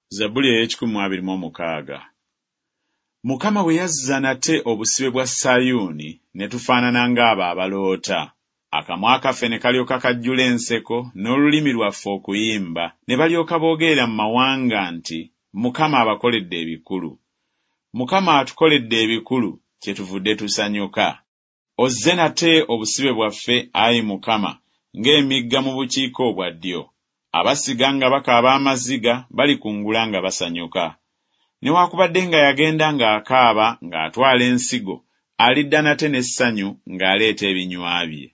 Zabbuli ey'ekikumi mu abiri mu omukaaga. Mukama bwe yazza nate obusibe bwa Sayuuni, ne tufaanana ng'abo abaloota. Akamwa kaffe ne kalyoka kajjula enseko, n'olulimi lwaffe okuyimba, ne balyoka boogerera mu mawanga nti Mukama abakoledde ebikulu. Mukama atukoledde ebikulu, kyetuvudde tusanyuka. Ozze nate obusibe bwaffe, ayi Mukama, ng'emigga mu bukiika obwa ddyo. Abasiga nga bakaaba amaziga balikungula nga basanyuka. Newaakubadde nga yagenda ng'akaaba ng'atwala ensigo, alidda nate n'essanyu ng'aleeta ebinywa bye.